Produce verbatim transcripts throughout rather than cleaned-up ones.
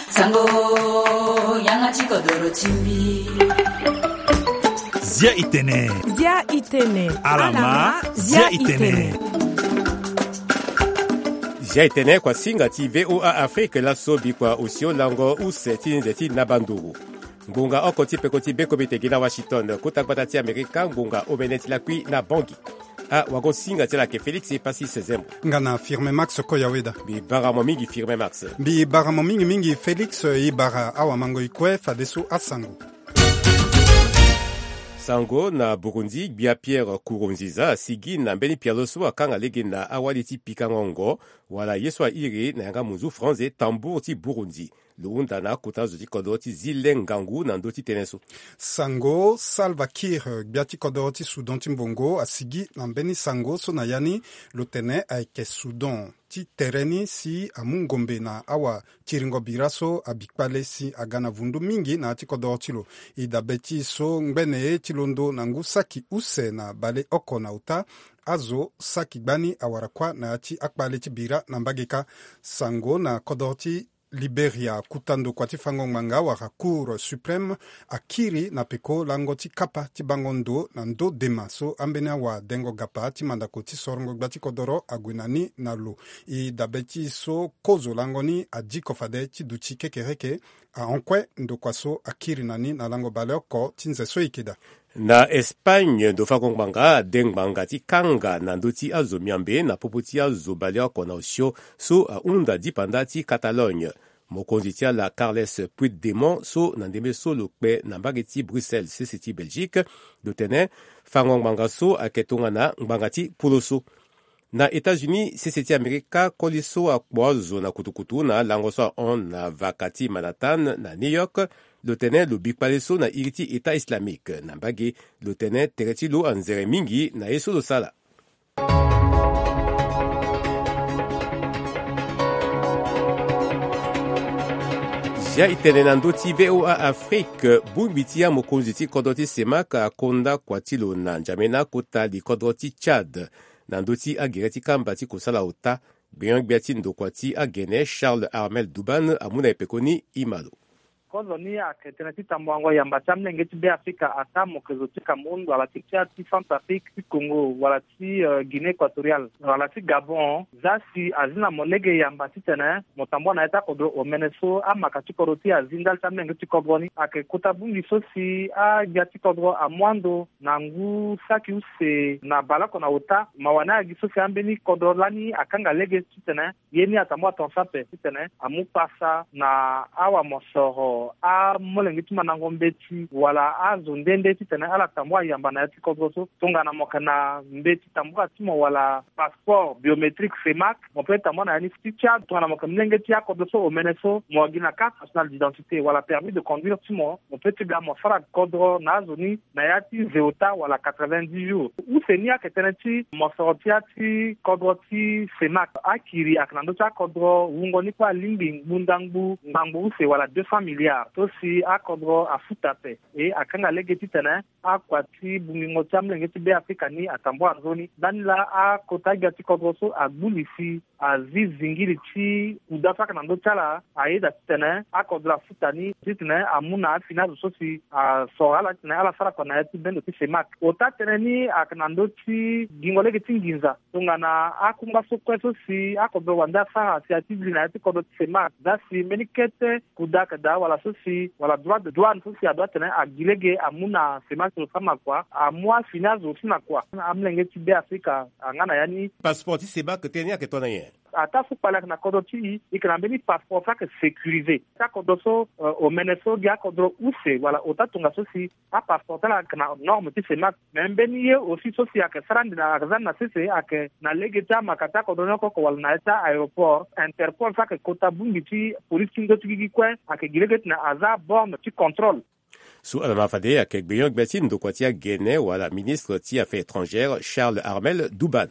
Sango, yanga ti kodoro ti mbi. Zia itene. Zia itene. Alama, zia itene. Zia itene kua singa ti V O A Afrique laso bikua osio lango use ti nze ti nabanduru. Ngonga oko ti peko ti bekobe te gi na Washington, kota gbata ti Amerika, ngonga omene ti lakui na Bangui. Awago singa ti ala ayeke Félix Epassi Sezembo. Nga na Firme Max Koyaweda. Mbi bara mo mingi Firme Max. Mbi bara mo mingi mingi Félix, e bara awamango e kue fadeso asango. Sango na Burundi, gbia Pierre Nkurunziza asigi na mbeni pialo so akanga lege na awali ti pikango ngo, wala ye so airi na yanga munzu franze tambour ti Burundi. Lo hunda na akota zo ti kodro ti zi le ngangu na ndö ti tënë so. Sango Salva Kiir, gbia ti kodro ti Soudan ti mbongo, asigi na mbeni sango so na ya ni lo tene ayeke Soudan ti tere ni si amu ngombe na awakiringo bira so abi kpale si aga na vundu mingi na ya ti kodro ti lo. E dabe ti e so ngbene ti londo na ngu saki use na baleoko na ota, azo saki gbani awara kuâ na ya ti akpale ti bira na mbage kâ. Sango na kodro ti Liberia, kuta ndokua ti fango ngbanga wala Cour suprême akiri na peko lango ti kapa ti bango ndo na ndö dema so ambeni awadengo gapa ti mandako ti sorongo gbia ti kodoro ague na ni na lo. E dabe ti e so kozo lango ni adiko fade ti duti kekereke ahon kue ndokua so akiri na ni na lango baleoko ti nze so e yeke daa. Na Espagne, ndo fango ngbanga ade ngbanga ti kanga na ndö ti azo miambe na popo ti azo baleoko na osio so ahunda dipanda ti Catalogne. Mokonzi ti ala Carles Puigdemont so na ndembe so lo kpe na mbage ti Bruxelles, sese ti Belgique, lo tene fango ngbanga so ayeke tongana ngbanga ti polo so. Na États-Unis, sese ti Amerika, koli so akpo azo na kutukutu na alango so ahon na vaka ti Manhattan na New York, lo tene lo bi kpale so na iri ti État islamique. Na mbage, lo tene tere ti lo anzere mingi na ye so lo sara. Zia e tene na ndö ti V O A Afrique, bongbi ti amokonzi ti kodro ti CEMAC akonda kua ti lo na N'Djamena, kota li kodro ti Tchad, na ndö ti agere ti kamba ti kosala ota. Gbenyo-gbia ti ndokua ti agene, Charles Armel Douban, amu na e pekoni, e ma lo. Kozo ni ayeke tënë ti tambuango yamba ti amolenge ti Beafrika, ataa mo yeke zo ti Cameroun wala ti Tchad, ti Centrafrique, ti Congo, wala ti, euh, Guinée équatoriale, wala ti Gabon. Za si azi na mo lege yamba titene mo tambua na ya ti akodro omene so amaka ti kodro ti e azi ndali ti amolenge ti kodro ni. Ayeke kota bongbi so si agbia ti kodro amu ando na ngu saki use na baleoko na ota. Mawa ni ayeke gi so si ambeni kodro lani akanga lege titene ye ni atambua tongaso ape titene amu pasa na awamosoro, amolenge ti mandango mbeti wala azo nde nde titene ala tambua yamba na ya ti kodro so. Tongana mo yeke na mbeti tambula ti mo wala passeport biométrique CEMAC, mo peut tambua na ya ni. Ti Tchad, tongana mo yeke molenge ti akodro so omene so, mo gi na carte nationale d'identité wala permis de conduire ti mo, mo peut ti ga mo sara kodro na azo ni na ya ti ze ota wala quatre-vingt-dix jours. Use ni ayeke tënë ti mosoro ti ya ti kodro ti CEMAC. Akiri ayeke na ndö ti akodro wungo ni kue alingbi ngbunda ngbu ngbangbo use wala deux cents milliards so si akodro afuta ape. E akanga lege titene akua ti bongbingo ti amolenge ti Beafrika ni atambua nzoni. Ndani laa akota gbia ti kodro so agbu li si azi zingili ti kuda so ayeke na ndö ti ala, ayeda titene akodro afuta ni titene amu na afini azo so si asoro ala titene ala sara kua na ya ti bendo ti CEMAC. Ota tënë ni ayeke na ndö ti gingo lege ti nginza tongana akungba so kue so si akodro wande asara si ati li na ya ti kodro ti CEMAC. Za si mbeni kete kuda ayeke daa wala so si, wala droit de douane so si adoit tene agi lege amu na CEMAC ti lo sama kua, amu afini azo ti na kua. Amolenge ti Beafrika anga na ya ni. Passeport ti CEMAC tënë ni ayeke tongana nyen? Ataa so kpale ayeke na kodro ti e, e yeke na mbeni passeport so ayeke sécurisé. Ti akodro so, euh, omene so gi akodro use wala ota tongaso si apasseport ti ala ayeke na norme ti CEMAC. Me mbeni ye aussi so si ayeke sara ande na, ayeke za ande na sese ayeke na lege ti amaka ti akodro ni oko oko wala na ya ti a-aéroport Interpol so ayeke kota bongbi ti police ti ndö ti gigi kue ayeke gi lege titene aza borne ti contrôle. So ala ma fade ayeke gbenyo-gbia ti ndokua ti agene wala ministre ti affaires étrangères Charles Armel Douban.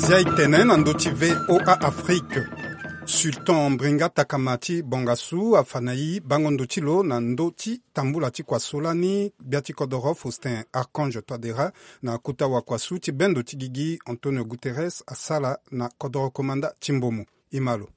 Zia e tene na ndö ti V O A Afrique. Sultan Mbringa Takama ti Bongasu afa na e bango ndo ti lo na ndö ti tambula ti kua so lani gbia ti kodoro Faustin Archange Touadéra na kota wakua so ti bendo ti gigi Antonio Guterres asara na kodoro komanda ti Mbomou. E ma lo.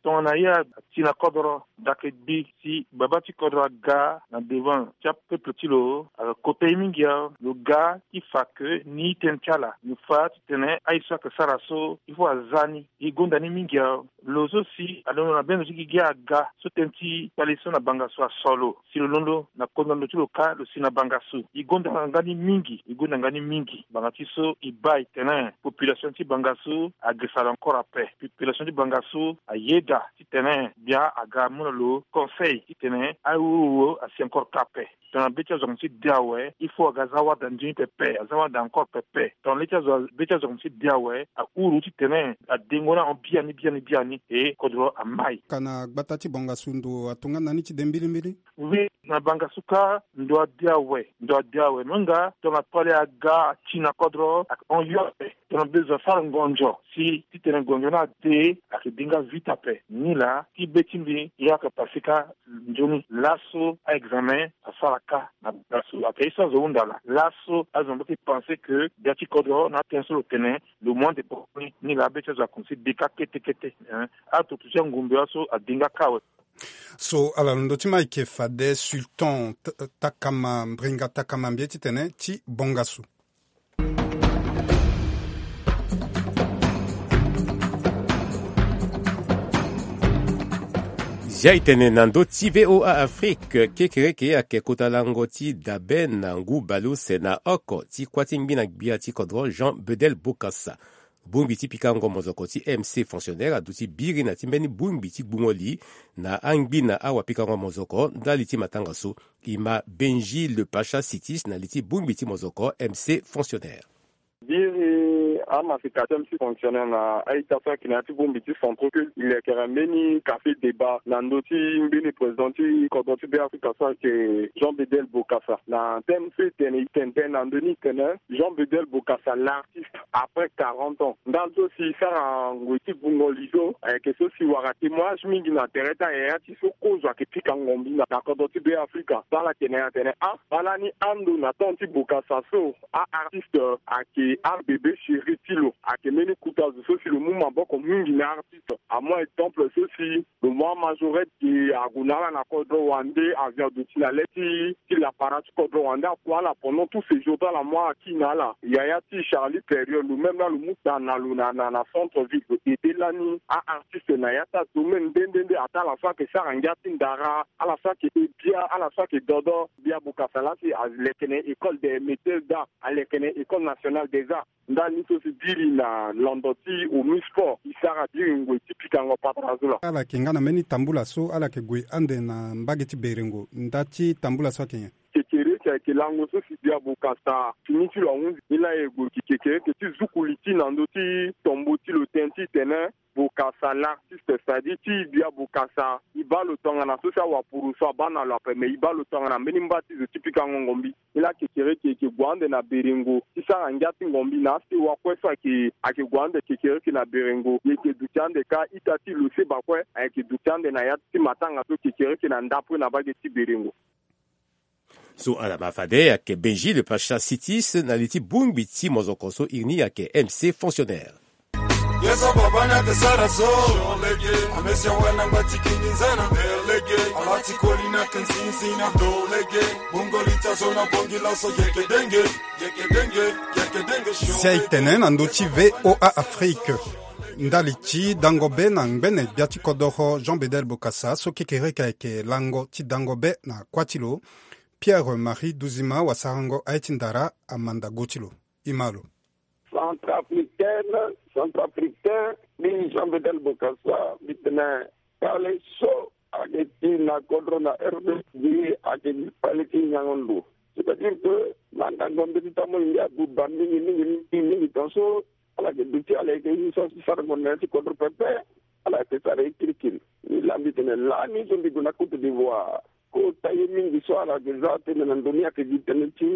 Tongana e ati na kodoro, dake gbi si baba ti kodoro aga na devant ti apeuple ti lo, ayeke kota e mingi awe. Lo ga ti fa ke ni tënë ti ala, lo fa titene aye so ayeke sara so il faut aza ni. E gonda ni mingi awe. Lo so si alondo na bendo ti gigi aga so tënë ti kpale so na banga so aso lo, si lo londo na kodro ndo ti lo kâ, lo si na banga so. E gonda nga ni mingi, e gonda nga ni mingi. Banga ti so e baa e tene population ti banga so agesa lo encore ape. Population ti banga so ayeda titene gbia aga amu na lo conseil titene aye wowowoo asi encore kâ ape. Tongana be ti azo akonti de awe, il faut aga aza wara daa nzoni pepe, aza wara daa encore pepe. Tongana le ti azo, be ti azo akonti de awe, ahuru titene adengo na ahon biani biani biani, e kodro amai. Ka na gbata ti Bongasu ndo atonga na ni ti de mbilimbili? Oui, na Bangasu kâ ndo ade awe, ndo ade awe. Me nga tongana kpale aga ti na kodro, ahon yo ape. Tongana bezo asara ngonzo si titene ngonzo ni ade, ayeke dinga vite ape. Nilaa ti be ti mbi, e yeke pase kâ nzoni. Laso a-examen asara kâ na Bangasu. Ayeke ye so azo hunda laa. Laso azo na mbage ti pense que gbia ti kodro na atënë so lo tene, lo mu ande kpokoni. Nilaa be ti azo akonsi de kâ kete kete, hein. Ato ti angumbe aso adinga kâ awe. So ala londo ti ma ayeke fade Sultan T-, Takama, Mbringa Takama, mbi ye titene ti Bongasu. Zia e tene na ndö ti V O A Afrique, kekereke ayeke kota lango ti dabe na ngu baleuse na oko ti kuâ ti ngbina gbia ti kodro Jean Bedel Bokassa. Bongbi ti pikango mozoko ti M C fonctionnaire aduti biri na ti mbeni bongbi ti gbungo li na angbina awapikango mozoko ndali ti matanga so. E ma Benji Le Pacha Sitis na li ti bongbi ti mozoko M C fonctionnaire. Biri amafikation M C fonctionnaire na a-ita so ayeke na ya ti bongbi ti centraux culte, e lekere mbeni café débat na ndö ti mbeni président ti kodro ti Beafrika so ayeke Jean Bedel Bokassa. Na thème so e tene, e tene tënë na ndö ni, e tene Jean Bedel Bokassa, l'artiste après quarante ans. Ndali so si e sara ngoi ti gbungo li so ayeke so si wara témoignage mingi na tere ti ayaya ti so kozo ayeke pika ngombi na, na kodro ti Beafrika. So ala tene atene, ah, baa lani ando na temps ti Bokassa so, a-artiste ayeke abébé chéri ti lo. Ayeke mbeni kota zo so si lo mu maboko mingi na artiste. Amu exemple so si lo mu amajorette ke ague na ala na kodro wande, avion aduti na le ti, ti lapara ti kodro wande akue ala pendant tout séjour ti ala, mu aki na ala. Yaya ti Charlie Période, lo même laa lo mu daa na lo na, na, na centre ville, lo aidé lani a-artiste na ya ti adomaine nde nde nde. Ataa ala so ayeke sara ngia ti ndara, ala so ayeke bia, ala so ayeke dodo. Bia Bokassa laa si alekene école des métiers d'art, alekene école nationale des arts. Ndali ni so si biri na londo ti Omi Sport, e sara biri ngoi ti pikango patara zo laa. Ala yeke nga na mbeni tambula so ala yeke gue ande na mbage ti berengo. Nda ti tambula so ayeke nyen? Kekereke ayeke lango so si Bia Bokassa fini ti lo ahunzi. Ni laa e gue gi kekereke ti zuku li ti na ndö ti tombo ti lo tënë ti tene Bokassa l'artiste, c'est-à-dire ti Bia Bokassa, e baa lo tongana so si awapuru so abaa na lo ape, me e baa lo tongana mbeni mba ti zo ti pikango ngombi. Ni laa kekereke ayeke gue ande na berengo ti sara ngia ti ngombi na asewa kue so ayeke, ayeke gue ande kekereke na berengo. E yeke duti ande kâ ita ti lo seba kue ayeke duti ande na ya ti matanga so kekereke na ndapre na mbage ti berengo. So ala ma fade ayeke Benji Le Pacha Sitis na li ti bongbi ti mozoko so iri ni ayeke M C fonctionnaire. Ye so baba ni ayeke sara so. Amesi awe na ngba ti kingi nzana. Ala ti koli ni ayeke nzinzina. Bongo li ti azo na bongi laso yeke denge, yeke denge, yeke denge. Si aye tene na ndö ti V O A Afrique. Ndali ti dango be na ngbene gbia ti kodoro Jean Bedel Bokassa so kekereke ayeke lango ti dango be na kuâ ti lo. Pierre Marie Duzima wasarango aye ti ndara amanda go ti lo. E ma lo. Centrafricaine, centrafricain, mbi Jean Bedel Bokassa, mbi tene kpale so ayeke ti na kodro na R D C ayeke gi kpale ti nyango ndo. C'est-à-dire que mandango mbeti ti amu ngia buba mingi mingi mingi mingi tongaso ala yeke duti ala yeke ye so asi sara ngonda na ya ti kodro pepe. Ala yeke sara ye kirikiri. Mbi laa mbi tene lani so mbi gue na Côte d'Ivoire. Côte Taye mingi so ala yeke za tënë na ndo ni ayeke gi tënë ti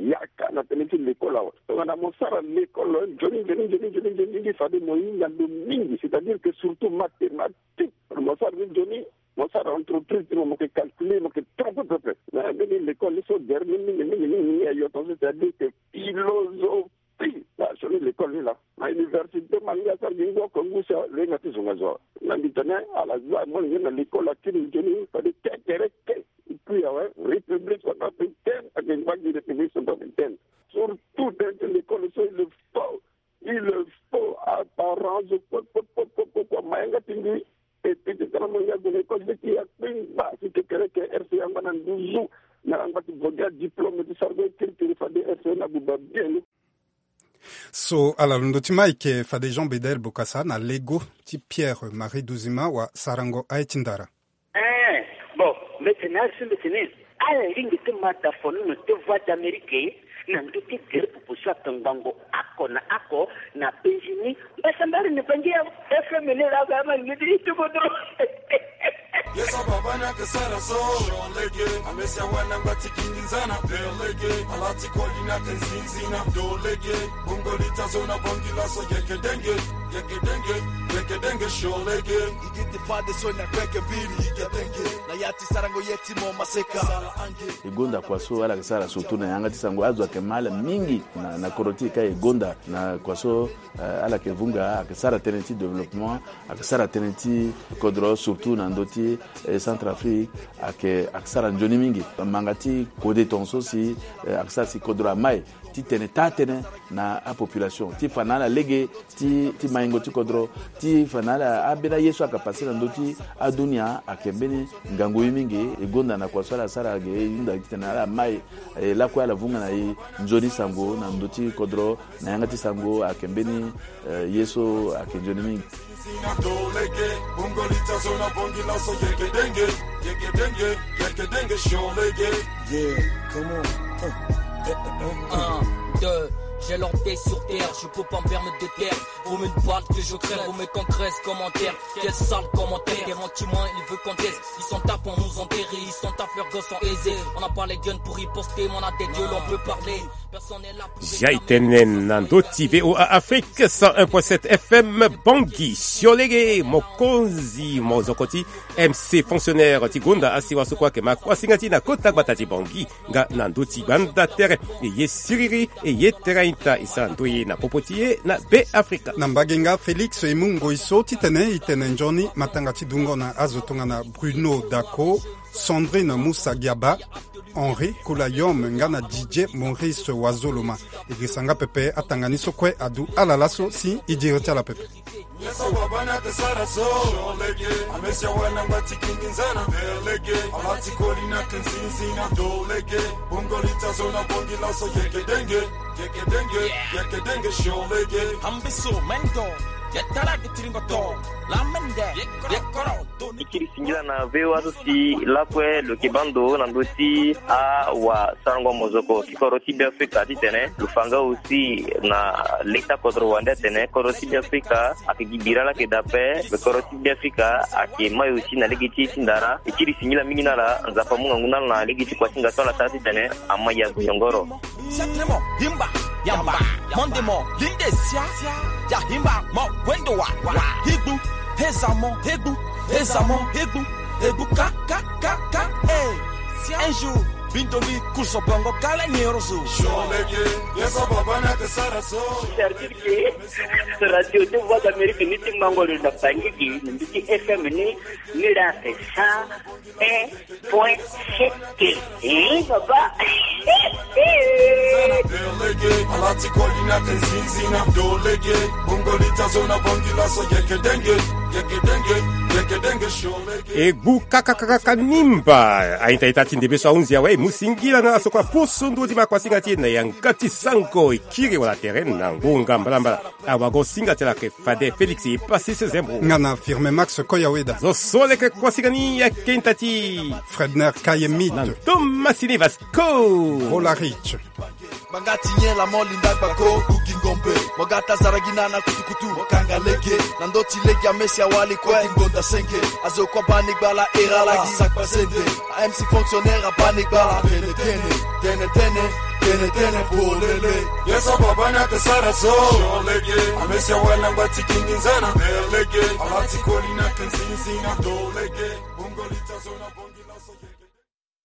yaka na tënë ti lekol awe. Tongana mo sara lekol nzoni nzoni nzoni nzoni nzoni fade mo hinga ndo mingi, c'est-à-dire que surtout mathématique. Mo sara ni nzoni, mo sara entreprise ti mo, mo yeke calculer, mo yeke trompe pepe. Mais mbeni lekol ni so gere ni mingi mingi mingi mingi ayo tongaso, c'est-à-dire que philosophie. Ti na sioni lekol ni laa na université, ma ngia asara gi ngu oko ngu si alenga ti zonga zo. Na mbi tene ala za molenge na lekol akiri nzoni fade kekereke. Epui awe, République centrafricaine ayeke ngba gi République centrafricaine. Surtout tënë ti lekol so il le faut, il le faut. Aparent zo kue kue kue kue kue kue ma yanga ti mbi. Epui ti tara molenge ague na lekol ti ya kpengba si kekereke R C A angba na nduzu. Na angba ti vo gi adiplôme ti sara gue kirikiri fade R C A na buba bien. So ala londo ti Mike fade Jean Bedel Bokassa na lego ti Pierre Marie Duzima wa sarango aye ti ndara. Eh, bon, mbeti na asi mbeti ni. Ala lingbi ti ma da fono na te Voix d'Amérique na ndö ti gere popo so atongbango oko na oko na penzi ni. Mbasambari ni bangi ya F M ni la ba ma ni di tuko dro. Yeso baba na ke sara so. Shon lege, amesi awana ngba ti kingi nzana. Ver lege, ala ti koli na ke nzinzi na do lege. Bongo lita zo na bongi la so yeke denge, yeke denge, yeke denge shon lege. Igi ti fade so na kweke mbiri yeke denge. Na ya ti sarango ye ti mo maseka. Sala ange. E gonda kua so ala ke sara surtout na yanga ti sango azo ayeke ma ala mingi na, na kodro ti e ka e gonda na kua so. Eh, ala yeke vunga, ayeke sara tënë ti développement, ayeke sara tënë ti kodro, surtout na ndö ti, eh, Centrafrique, ayeke, ayeke sara nzoni mingi. Manga ti kode tongaso si, eh, ayeke sara si kodro amai ti tene taa tënë na apopulation, ti fa na ala lege ti, ti maingo ti kodro, ti fa na ala ambeni aye so ayeke pase na ndö ti adunia, ayeke mbeni ngangu ye mingi. E gonda na kua so ala sara ge, e hunda titene ala mai, eh, lakue ala vunga na e nzoni sango na ndö ti kodro. Na yanga ti sango ayeke mbeni, eh, ye so ayeke nzoni mingi. Sina do lege, bongo lita zo na bongi laso yeke denge, yeke denge, yeke denge shon lege. Yeah, come on. Uh. Un, deux, j'ai leur pied sur terre, je peux pas me permettre de taire. Vaut mieux une balle que je crève, vaut mieux qu'on crève commentaire. Quel sale commentaire, garantis-moi, il veut qu'on teste. Ils sont tapés, on nous enterre, ils sont tapés, leurs gosses sont aisés. On n'a pas les guns pour riposter, mais on a des gueules, on peut parler. Personne n'est là pour... Zia e tene na ndö ti V O A Afrique cent un point sept F M, Bangui siolege, mokonzi mozoko ti M C fonctionnaire ti gonda asiwa so kue ayeke ma kuasinga ti e na kota gbata ti Bangui. Nga na ndö ti gbanda tere, e ye siriri, e ye tera ita, e sara ndoye na popo ti e na Be Afrika. Na mbage nga Félix e mu ngoi so titene e tene nzoni matanga ti dungo na azo tongana Bruno Daco, Sandrine Moussa Giaba, Henri Koulayom nga na Didier Maurice Wazoloma. E girisa nga pepe atanga ni so kue adu ala laso si e diri ti ala pepe. Yeso wabana ke sara so. Sholege, amesi awana ngba ti kingi nzana. Belege, ala ti koli na ke nzinzi na dolege. Bongo lita zo na bongi laso yeke denge. Yeke denge, yeke denge sholege. Ambisu mendo, yetara gitiringo to. La mende, yekoro, doni. E kiri singila na V O A so si lakue lo yeke baa ndo na ndö ti awa sarango mozoko ti kodro ti Be Afrika titene lo fa nga aussi na leta kodro wande atene kodro ti Be Afrika ayeke gi bira laa ayeke daa ape. Kodro ti Be Afrika ayeke mai aussi na lege ti e ti ndara. E kiri singila mingi na ala, Nzapa amu ngangu na ala na lege ti kuasinga so ala sara titene ama ya gue yongoro. Siatremo, himba, yamba, mondemo, linde sia, ya himba, mo, wendo wa, wa, higbu, hezamo, hegbu, hezamo, hegbu, hegbu, ka, ka, ka, ka, eh. Un jour, bindomi, kurso bongo, kala nyero zo. Sholege, yeso baba na ke sara so. C'est-à-dire que radio de Voix d'Amérique ni ti mango lo na Bangui, ni ti F M ni, ni la ke sa. Un point sept. Eh, papa. Lege, ala ti koli na ke nzinzi na dolege. Bongo lita zo na bongi laso yeke denge, yeke denge, yeke denge sholege. E gbu kakakaka nimba. Aita ita ti ndebe so ahunzi awe, e mu singila na ala so kue apusu ndö ti ma kuasinga ti e na yanga ti sango e kiri wala tere na ngonga mbalambala. Awago singa ti ala ke fade Félix e pasi se zembo. Nga na Firme Max Koyaweda. Zo so leke kuasinga ni ayeke nta ti Fredner Kayemit. Na Thomas Silivas ko. Volarich. Banga ti nyen la mo linda gbako ugi ngombe. Mo ga ta zara gi na na kutukutu mo kanga lege. Na ndö ti lege amesi awali kue ti ngonda senge. Azo kue bani gbala era lagi sakpa zende. A M C fonctionnaire abani gbala tene tene. Tene tene, tene tene polele. Yeso baba na te sara so. Lege. Amesi awali na ngba ti kingi nzana. Lege. Ala ti koli na te nzinzi na do lege. Bongo lita zo na bongo.